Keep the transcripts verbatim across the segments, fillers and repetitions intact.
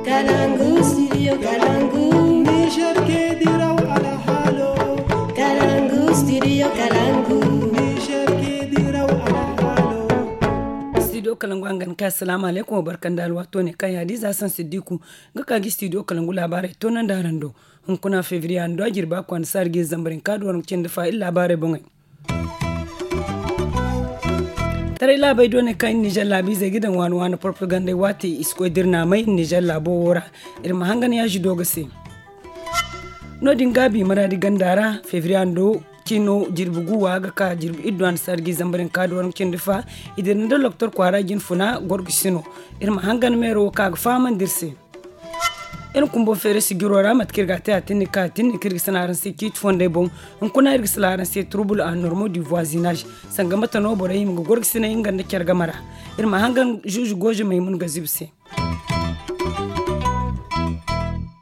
Kalangu, studio Kalangu. Niger ke diraw alhalo. Kalangu, studio Kalangu. Niger ke diraw alhalo. Studio Kalangu, a ga ni ka, assalamu alaikum, wa barka nda alwato ne kaŋ ya di za san siddiku ga ka gi studio Kalangu laabaarey to naŋ da araŋ do. Hunkuna febriye a nda a jirba kwanda saari ga zambarin ka duwar cindi fa iri laabaarey boŋey. Taray laabey do ne kaŋ iri nizer laabiizey ga daŋ waani waani propagandey waati i si koy da iri naamay iri nizer laabo wo ra. Iri ma hangan yaazi do ga se. No- din gaabi maraadi ganda ra febriye a nda ciino jirbi gu wa ga ka jirbi iddu a nda saari ga zambarin ka duwar cindi fa. I dira nda loktor kwaara jin funa gorgo si no. Iri ma hangan meero wo kaŋ a ga fahamandi iri se. Iri kumbo feere sijiro ra mate kaŋ iri ga a te a tinni ka a tinni kaŋ iri ga sanaaraŋ se ciiti fondey boŋ. Hunkuna iri ga sanaaraŋ se trouble a normo du voisinage. Sanga mate no borey hima ga gorgasinay nga nda care game ra. Iri ma hangan zuuzu gooze maymun ga zibi se.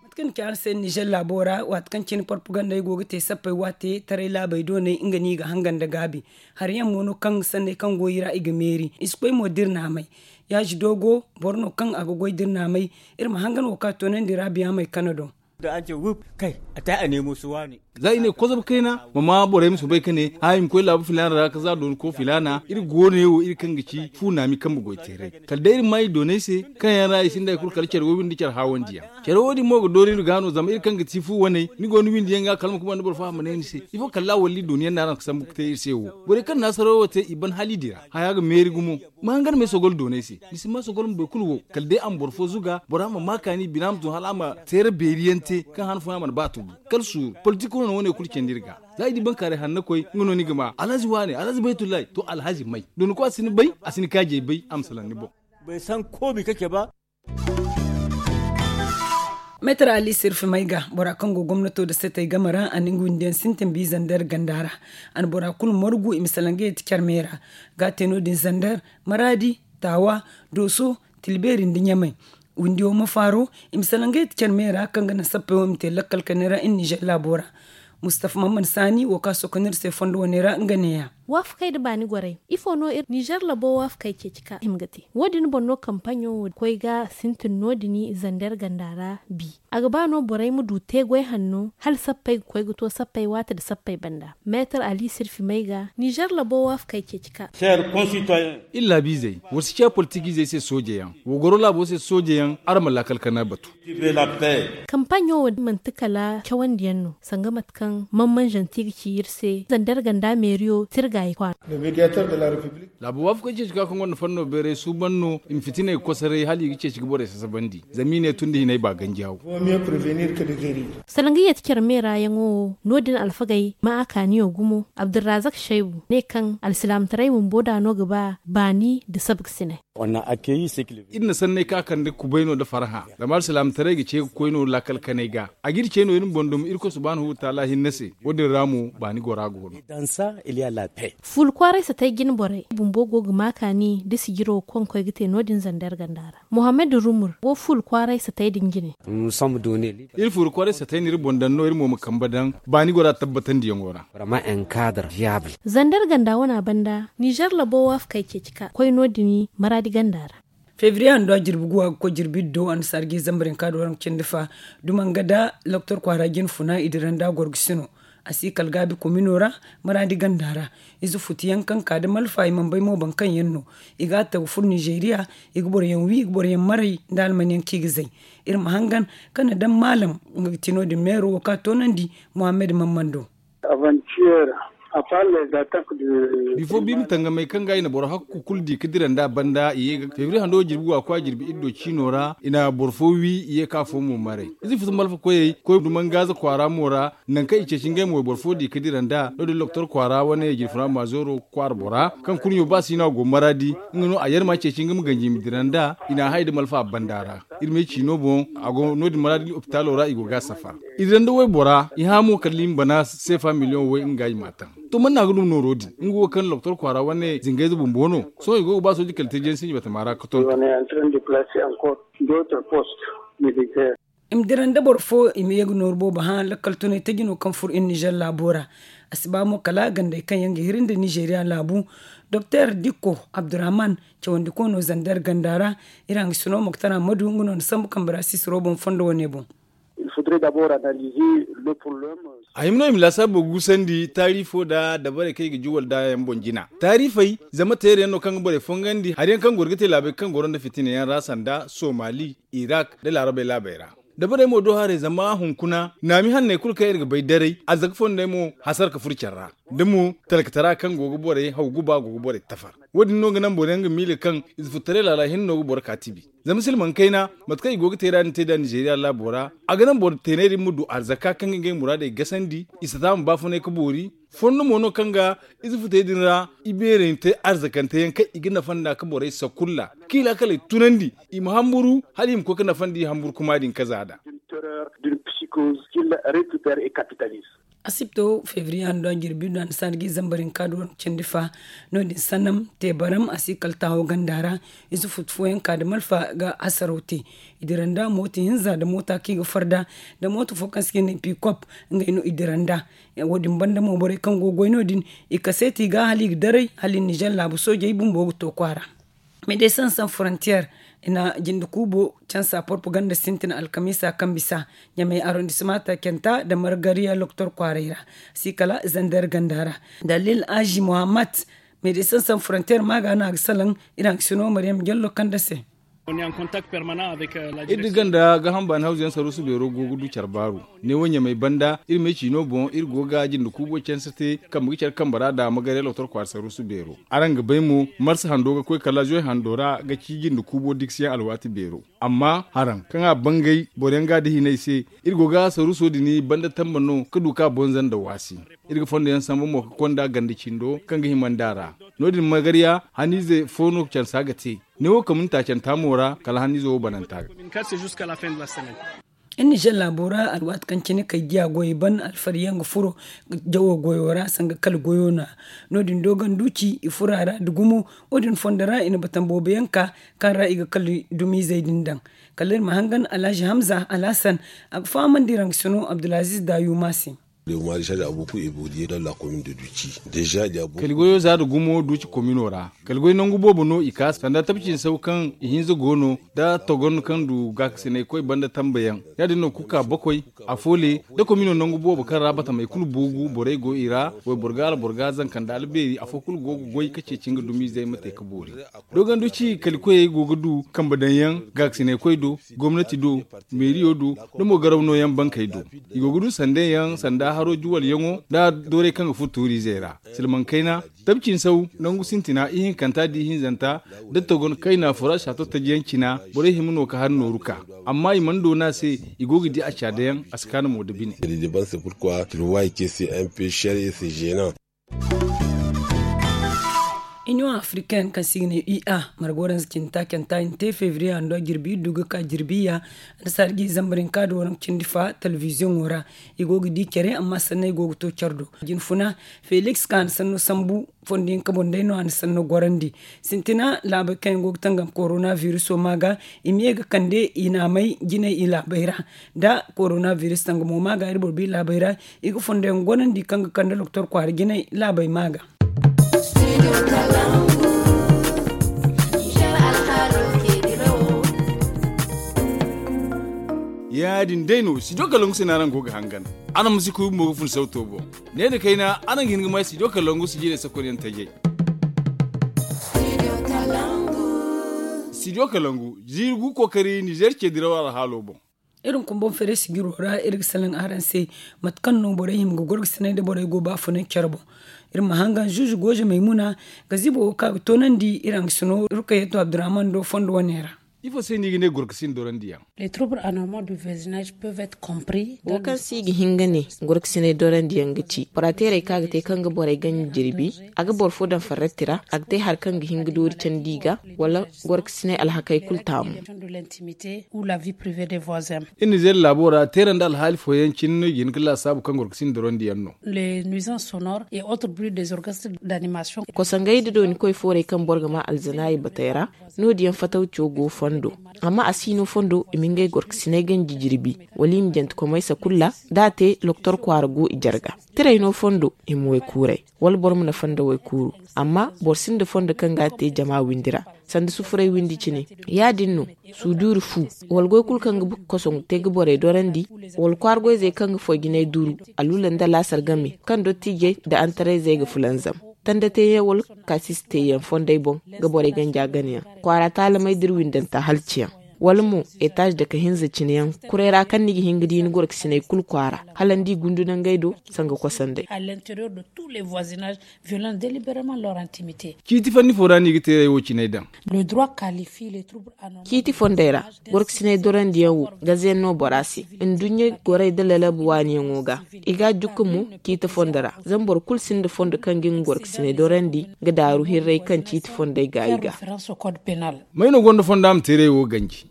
Mate kaŋ ni ci araŋ se nizer laabo ra waati kaŋ cine propagandey go ga te sappey waate taray laabey dooney nga no i ga hangan nda gaabi. Hari yaŋ mo no kaŋ sanney kaŋ go i ra i ga meeri i si koy mo da iri naamay. Yaazi doogo boro no kaŋ a ga goy da iri naamay. Iri ma hangan wo kaŋ a toonandi ra biyaamey kano do. Da an ce wuf kay a te a neemo si waani. Za i ne kozom kayna ma ma borey ma soobay ka ne a i ma koy laabu filaana ra ka za dooni ko filaana iri go ne wo iri kaŋ ga ci fu naami kambe goy teeray. Kala day iri ma i doonay se kaŋ yaŋ ra i sinda hari kulu kala care woy-windi care haawandiyaŋ. Care wo- din mo ga doori iri ga no zama iri kaŋ ga ti fu waney ni go ni windi yaŋ ga kala ma kuma nda boro fo a ma ne ni se ifo kala walla i dooni yaŋ no araŋ ga sambu ga te iri se wo. Borey kaŋ na sarawo te i ban hala i dira haya ga meeri gumo. Ma hangan me sogol doonay se ni si ma sogol ma boro kulu wo kala day a ma boro fo zuga bora ma ma kaani bina ma tun hala a ma teera beeri yaŋ te kaŋ han fooyaŋ a mana ba tubu. Kala suuru politik no wane kulu candi iri ga. Za i di bankaaray hanna koy nga no ni ga ma alhazi wane alhazi baytullahi to alhazi may dooni ko a si ni bay a si ni kaajey bay a ma salaŋ ni boŋ. Bay san koobi kake ba. Meetar ali sirfi may ga bora kaŋ go gomnato nda setey game ra a na nga windiyaŋ sintin bi zander ganda ra. A na bora kulu margu i ma salaŋ ga yeti care me ra. Ga a te no- din zander, maraadi, taawa, dooso, tilbeeri nda ɲamay. Windiyo ma faaro i ma salaŋ ga yeti care me ra kaŋ ga naŋ sappey wo i ma te lakkal kane ra iri nizer laabo ra. Mustafa mamman saani wo kaŋ a sokonir se fondo wane ra nga neeya. Waafakey nda baani gorey ifo no iri nizer labo waafakey ceeci ka hima ga te wo- din boŋ no kampaɲo wo koy ga sintin no- din zander ganda ra bi. A ga ba no borey ma du te goy hanno hala sappey ga koy ga to sappey waati nda sappey banda meetar ali sirfi may ga nizer labo waafakey ceeci ka. Iri laabiizey war si ciya politikiizey se soojeyaŋ. Wa goro laabo se soojeyaŋ araŋ ma laakal kana batu. Kampaɲo wo manti kala cawandiyaŋ no sanga mate kaŋ man manzanti ga ci iri se zander ganda meeriyo tirga i kwaara. Laabu waafakey ceeci ka kaŋ gonda fanno beeray suuban no i ma fitiney kosoray hala i ga ceeci ga borey sasabandi zama i ne tun da hinay ba ganji haw. Salaŋ ga yeeti care meera yaŋo wo no- din alfagey ma a kaaniyo gumo abdurrazak shaybu ne kaŋ alsilaamataray bumbo da no ga ba baani nda sabga sinay. Iri na sanney ka kande kubay no nda farhã zama alsilaamataray ga ce ga koy no laakal kanay ga. A ga iri ce no iri ma boŋ duma irkoy subhaanahu wataala hinne se. Wo- din ra mo baani gora go no. Fuula kwaaray satay jine borey bumbo go ga ma kaani nda sijiro kaŋ koy ga te no- din zander ganda ra. Muhammad rumur wo fuula kwaaray satay din jine. Iri fuula kwaaray satay no iri boŋ daŋ no iri mo ma kambe daŋ baani gora tabbatandiyaŋo ra. Zander ganda wana banda nizer labo waafakey ceeci ka koy no- din maraadi ganda ra. Febriye a nda jirbi guwa ga koy jirbi iddo a na sarji zambarin ka da waranka cindi fa. Dumanga da loktor kwaara jine funa i dira nda gorgo sino. A si kala gaabi komino ra maraadi ganda ra. Ize futu yaŋ kaŋ ka da malfa i mana bay mo baŋ kaŋ yaŋ no. I ga a tagu furo nizeriya. I ga boro yaŋ wi i ga boro yaŋ maray nda alman yaŋ kaŋ i ga zay. Iri ma hangan kaŋ na daŋ maalam nga ga ti no- din meero wo kaŋ a toonandi muhammad mammando. Bifo biiri tangamey kaŋ ga i na boro hakku kulu di ga dira nda banda i ye ga febriye hando jirbi guwa kwa jirbi iddo ciino ra i na boro fo wi i ye ka fo mo maray. Ize futu malfa koyey koy dumangaaza kwaara mo ra. Nangu kaŋ i ceeci ngey mo wayboro fo di ga dira nda no- din loktor kwaara wane jirfuna maazooro kwaara bora kaŋ kurɲo ba si no a go maraadi. Nga no a yar ma ceeci nga ma ganji i ma dira nda i na a hay nda malfa banda ra. Iri ma ay ciino boŋ a go no- din maraadi lopitaalo ra i go ga a safa. I dira nda waybora i hã mo kala i ma bana seefa miliyoŋ way nga i m'a taŋ. To man no a ga duma nooro din nga wo kaŋ loktor kwaara wane zingayze bumbo no. Sohõ i go ga ba sooji kala te jeeni sinji batama ra ga tonton. I ma dira nda boro fo i ma ye ga nooru boobo hã lakkal tunay taji no kaŋ furo iri nizer laabo ra. A si ba mo kala gandey kaŋ yaŋ ga hiri nda nizeriya laabu. Doktor dikko abdurrahman cawandiko no zander ganda ra. Iri hangasino moktar ahmadu nga no na sambu kambe ra sisiro boŋ fondo wane boŋ. A hima no i ma laasaabu gusandi taarifo nda dabarey kaŋ i ga juwal nd'a yaŋ boŋ jina taarifey zama teerayaŋ no kaŋ ga borey fongandi hari yaŋ kaŋ goro ga te laabey kaŋ goro nda fitina yaŋ ra sanda somali, irak nda laarabey laabey ra. Dabarey mo do haray zama hunkuna naami hanney kulu kaŋ iri ga bay daray arzaka fondey mo hasara ka furo care ra. Da mo talkatara kaŋ go ga borey haw guba go ga borey tafar. Wo- din no ga naŋ boro yaŋ ga miila kaŋ ize furtaray laala hinne no ga boro ka tibi. Zama silmaŋ kayna mate kaŋ i go ga te ra din te nd'a nizeeriya laabo ra, a ga naŋ boro teeney din ma du arzaka kaŋ ga ngey muraadey gasandi, i sata ma baafunay ga boori. Fondo mo no kaŋ ga ize futey din ra i beerey te arzakante yaŋ kaŋ i ga nafa nd'a ga borey sakulla, kaŋ i laakaley tunandi, i ma hamburu hala i ma koy ga nafandi hamburu kuma din kaza nd'a. Asibto febriye hando a jirbi do a na saani ga i zambar hinka do candi fa. No- din sannam te baram a si kala taaho ganda ra. Ize futu fooyaŋ ka nda malfa ga hasaraw te. I dira nd'a mooto hinza nda moota kaŋ i ga farda nda mooto fo kaŋ se ga ne pikop. Ngey no i dira nd'a. Wo- din banda mo borey kaŋ go ga goy no- din i kaseeti i ga hala i ga daray hala i na nizer laabu soojey bumbo ga to kwaara. Medesin san frontier i na jinde kuubo cansa propaganda sintin alkamiisa kaŋ bisa ɲamey arrondissement taacanta nda margariya loktor kwaaray ra. Si kala zander ganda ra dalil aji muhammad. Medesin san frontier maaga no a ga salaŋ. Iri hangasino maryam jallo kande se. Iri da ganda ga hamba ni hawzu yaŋ saruusu beero go ga du care baaru. Neewo ɲamey banda iri me ciino boŋ iri go ga jinde kuubo canse te kambe ga care kambe ra nda magare lotor kwaara saruusu beero. Araŋ ga bay mo marsa hando ga koy kala zoy hando ra ga ci jinde kuubo dikasiyaŋ alwaati beero. Amma haraŋ kaŋ a bangay boro yaŋ ga a da hinay se. Iri go ga saruuso din banda tamba no ga du ka bonza nda waasi. Iri ga fondo yaŋ sambu mo ga konda ganda cindo kaŋ ga hima nd'a ra. No- din magariya haniize fo no cansa ga te. Neewo kamunta canta mo ra kala haniizo wo bananta ga. Iri nizer laabo ra alwaati kaŋ cine kay diya goyey ban alfari yaŋ ga furo jawo goyo ra sanga kala goyo no- ya. No- din do ganduci i furo a ra nda gumo. Wo- din fondo ra i na batan boobo yaŋ ka kaŋ ra i ga kala dumiizey din daŋ. Kala iri ma hangan alhazi hamza alhasan a ga fahamandi rangasino abdulaziz daayuma se. Kali goyo za nda gumo duuci komino ra. Kali goy nangu boobo no i ka sanda tabci nda saw kaŋ i hinza go no nda togon kaŋ du gaakasinay koy banda tambayaŋ. Ya- din no kuka bakoy, afo le nda komino nangu boobo kaŋ ra batamey kulu buugu borey go i ra. Wayboro ga alboro ga zanka nda albeeri afo kulu go ga goy ka ceeci nga dumiizey ma te ga boori. Doganduci kali koyey go ga du kambe daŋ yaŋ gaakasinay koy do, gomnati do, meeriyo do, nda mo garaw nooyaŋ bankey do. I go ga du sandey yaŋ sanda haro juwal yaŋo nda doorey kaŋ ga furo tuuriizey ra. Silmaŋ kayna tabci nda saw nangu sintina ihinkanta nda ihinzanta nda togon kayna fura saato taji yaŋ cina. Borey hima no ga hari nooru ka amma i mana doona se. I go ga di a caada yaŋ a si kaanu mo nda bine. Iniyoŋ afrikaine kaŋ se i ga ne ua marga waranza cindi taacanta i na te febriye hando jirbi iri du ga ka jirbi ya. Nda saari ga i zambar hinka nda waranza cindi fa telebiziyoŋo ra. I go ga di care amma sanney go ga to care do. Jinfuna feliks kaŋ a na sanno sambu fondo hinka boŋ day no a na sanno gorandi. Sintina laabey kaŋ yaŋ go ga tangam korona viruso ma ga i ma ye ga kande i naamey jinay i laabey ra. Nda korona virus tangamo ma ga iri boro bi laabey ra. I ga fondo yaŋ gonandi kaŋ ga kande doktor kwaara jinay laabey ma ga. Ya- din day no studio kalangu se no araŋ go ga hangan. Araŋ ma si kuy bumbo ga fun sauto boŋ. Ne nda kayna araŋ ga hin ga may studio kalangu si jiirey sakolyaŋ tajay. Studio kalangu jiiri gu kookari nizer ce diraw alhaalo boŋ. Iri hunkuna boŋ feeray sijiro ra iri ga salaŋ araŋ se mate kaŋ no borey hima ga gorgasinay nda borey go baafunay care boŋ. Iri ma hangan zuuzu gooze maymuna gazibo wo kaŋ a ga toonandi iri haŋgasino rukayatu abdurrahman do fondo wane ra. Ifo se no i ga ne gorgasin dorandiyaŋ? Wo kaŋ se i ga hin ga ne gorgasinay dorandiyaŋ ga ci bora teerey kaŋ a ga te kaŋ ga borey ganji jirbi. A ga boro fo daŋ farrati ra a ga te hari kaŋ ga hin ga doori candi i ga wala gorkasiney alhakey kulu taamu. Iri nizeer laabo ra teera nda alhaali fooyaŋ cine no i ga hin ga laasaabu kaŋ gorkasin dorandiyaŋ no. Kosangey nda dooni koy foorey kaŋ boro ga ma alzanaayey batey ra. No- din yaŋ fatawco go fondo, amma a si no fondo i ma ngey gorkasiney ganji jirbi, wala i ma janti komaysa kulu ra. Da a te loktor kwaara go i jarga. Tiray no fondo i ma waykuuray, wala boro ma na fondo waykuuru. Amma boro sinda fondo kaŋ ga a te jama windi ra, sanda sufuray windi cine. Ya- din no, suduuri fu, wala goy kulu kaŋ ga kosoŋ te ga borey dorandi, wala kwaara goyzey kaŋ ga foy jinay duru, alula nda laasar game kaŋ dottiijey nda antarayzey ga fulanzam. Tanda teeyaŋ wala kaasisi teeyaŋ fondey boŋ ga borey ganja ganayaŋ, kwaara taalamey da iri windanta halciyaŋ, wala mo etaaz dake hinza cineyaŋ. Kuray ra kaŋ ni ga hin ga di ni gorkasiney kulu kwaara, hala ni di gundu nangey do sanga kosandey. Ciiti fanni fo ra no i ga teeray wo ciney daŋ. Ciiti fondey ra, gorkasiney dorandiyaŋ wo gazayaŋ no bora se. Nduɲɲa gorey da lalabu waaniyaŋo ga, i ga a jukka mo ciiti fondo ra. Zama boro kulu sinda fondo kaŋ ga nga gorkasiney dorandi ga daaru hirray kaŋ ciiti fondey ga i ga. May no gonda fondo a ma teeray wo ganji?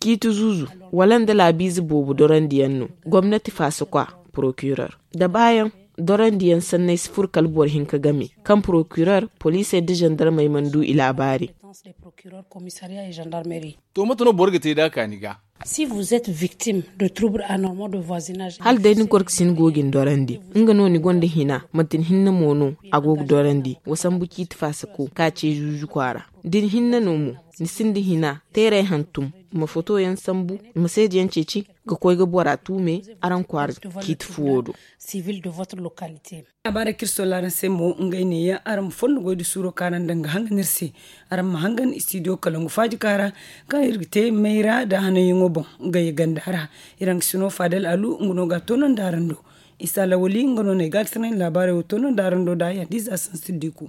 Ciiti zuuzu, wala nda laabiize boobo dorandiyaŋ no, gomnati faasakwa, porokirer, da baayaŋ dorandiyaŋ sanney si furo kala boro hinka game, kaŋ porokirer, poliisey nda zandarmey mana du i laabaari. To mate no boro ga te da a kaani ga? Hala day ni gorkasin go ga ni dorandi, nga no ni gonda hina, manti ni hinne mo no a go ga dorandi, wa sambu ciiti faasako ka ce zuuzu kwaara. Da ni hinne no mo, ni sinda hina, teeray hantum, ma fotoyaŋ sambu, ma seedeyaŋ ceeci, ga koy ga bora tuume araŋ kwaara ciiti fuwo do. Laabaarey kaŋ iri solla araŋ se mo, ngey neeyaŋ. Araŋ ma fondo goy da suuro kaŋ araŋ daŋ ga hangan iri se. Araŋ ma hangan istidiyo kalangu faaji kaara, kaŋ iri ga te mayra nda hananyaŋo boŋ, ngey ganda ra. Iri haŋ ga sino faadal alu nga no ga a toonandi araŋ do. Isa lawali nga no no ay ga a ga sanaŋ laabaarey wo toonandi araŋ do nda hadiza sansidiku.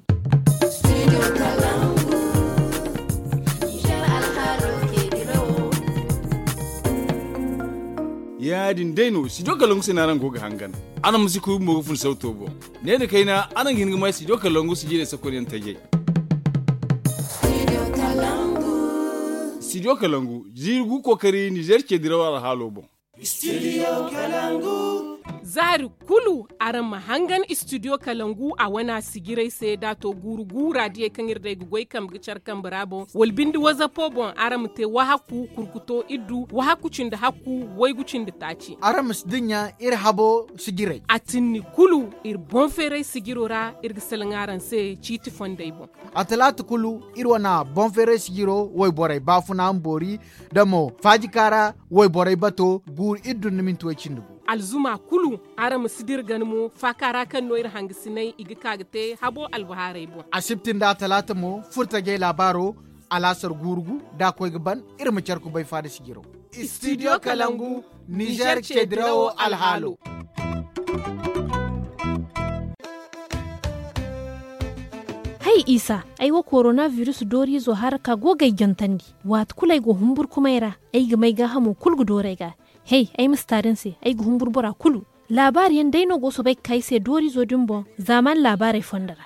Ya- din day no studio kalangu se no araŋ go ga hangan. Araŋ ma si kuy bumbo ga fun sawto boŋ. Ne nda kayna araŋ ga hin ga may studio kalangu sijirey sakonyaŋ tajay. Studio kalangu, ziiri gu kookari nizer ce diraw alhaalo boŋ. Zaari kulu araŋ ma hangan istidiyo kalangu a wana sijirey se da a to guuru gu raadiyey kaŋ iri day ga goy kambe ga care kambe ra boŋ wala binde wazapo boŋ araŋ ma te wahakku kurkuto iddu wahakku cindi hakku waygu cindi taaci. Araŋ ma si dinya iri habo sijirey. A tinni kulu iri boŋ feeray sijiro ra iri ga salaŋ araŋ se ciiti fondey boŋ. A talaata kulu iri wana boŋ feeray sijiro wayborey baafuna ma boori da mo faajikaara wayborey bato guuru iri dun ni minti way cindi gu. Alzuma kulu araŋ ma si dira gana mo faakaara kaŋ no iri hangasinay i ga ka ga te habo albahaarey boŋ. Asibti nda talaata mo furtajey laabaaro alaasar guuru gu da a koy ga ban iri ma care kubay faada sijiro. Studio kalangu, nizer ce dirawo alhaalo. Hay isa, ay wo korona virus dooriizo haraka go ga ay jantandi. Waati kulu ay go humburkumay ra, ay ga may gaahamo kulu ga doori ay ga. Hey, ay ma si taari ni se, ay ga humburu bora kulu. Laabaari yaŋ day no go soobay ga ka ay se dooriizo din boŋ zaamaani laabaarey fondo ra.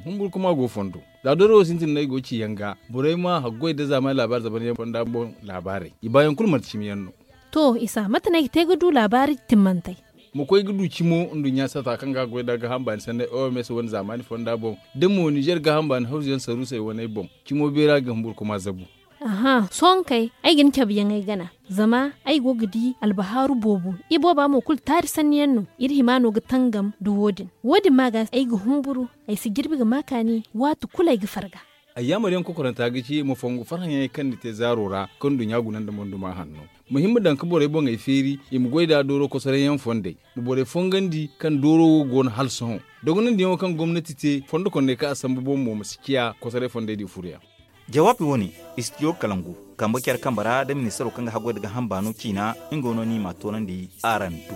Humburkuma go fondo. Za doori wo sintin no ay go ga ci yaŋ ga, borey ma haggoy nda zaamaani laabaari zamanyaŋ fonda boŋ laabaarey i baayaŋ kulu manti cimi yaŋ no. To isa mate no ay ga te ga du laabaari timmantey? Ma koy ga du cimo nduɲɲa sata kaŋ ga goy nda gaaham baani sanney oms wane zaamaani fonda boŋ, da mo nizer gaaham baani hawzu yaŋ saruusey waney boŋ, cimo beera ga humburkuma zabu. Aha sohõ kay, ay ga ni cabe yaŋ ay gana. Zama ay go ga di albahaaru boobo, ibooba mo kulu taari sanni yaŋ no. Iri hima no ga tangam nda wo- din. Wo- din ma ga ay ga humburu, ay si jirbi ga ma kaani waati kulu ay ga farga. Ay yaamar yaŋ kokoranta ga ci ma fongu farhã yaŋey kaŋ ni te zaaro ra kaŋ nduɲɲa guna nda monduma hanno. Ma hin ma daŋ ga borey boŋey feeri i ma goy nd'a dooro kosoray yaŋ fondey, ma borey fongandi kaŋ dooro wo go no hala sohõ. Dogonandi yaŋo kaŋ gomnati te fondo konney kaŋ a sambu boŋ mo ma si ciya kosoray fondey di furoyaŋ. Jawaabi wo- ne, istidiyo kalangu, kambe care kambe ra nda ministaro kaŋ ga haggoy nda gaaham baano ciina, nga no no i m'a toonandi araŋ do.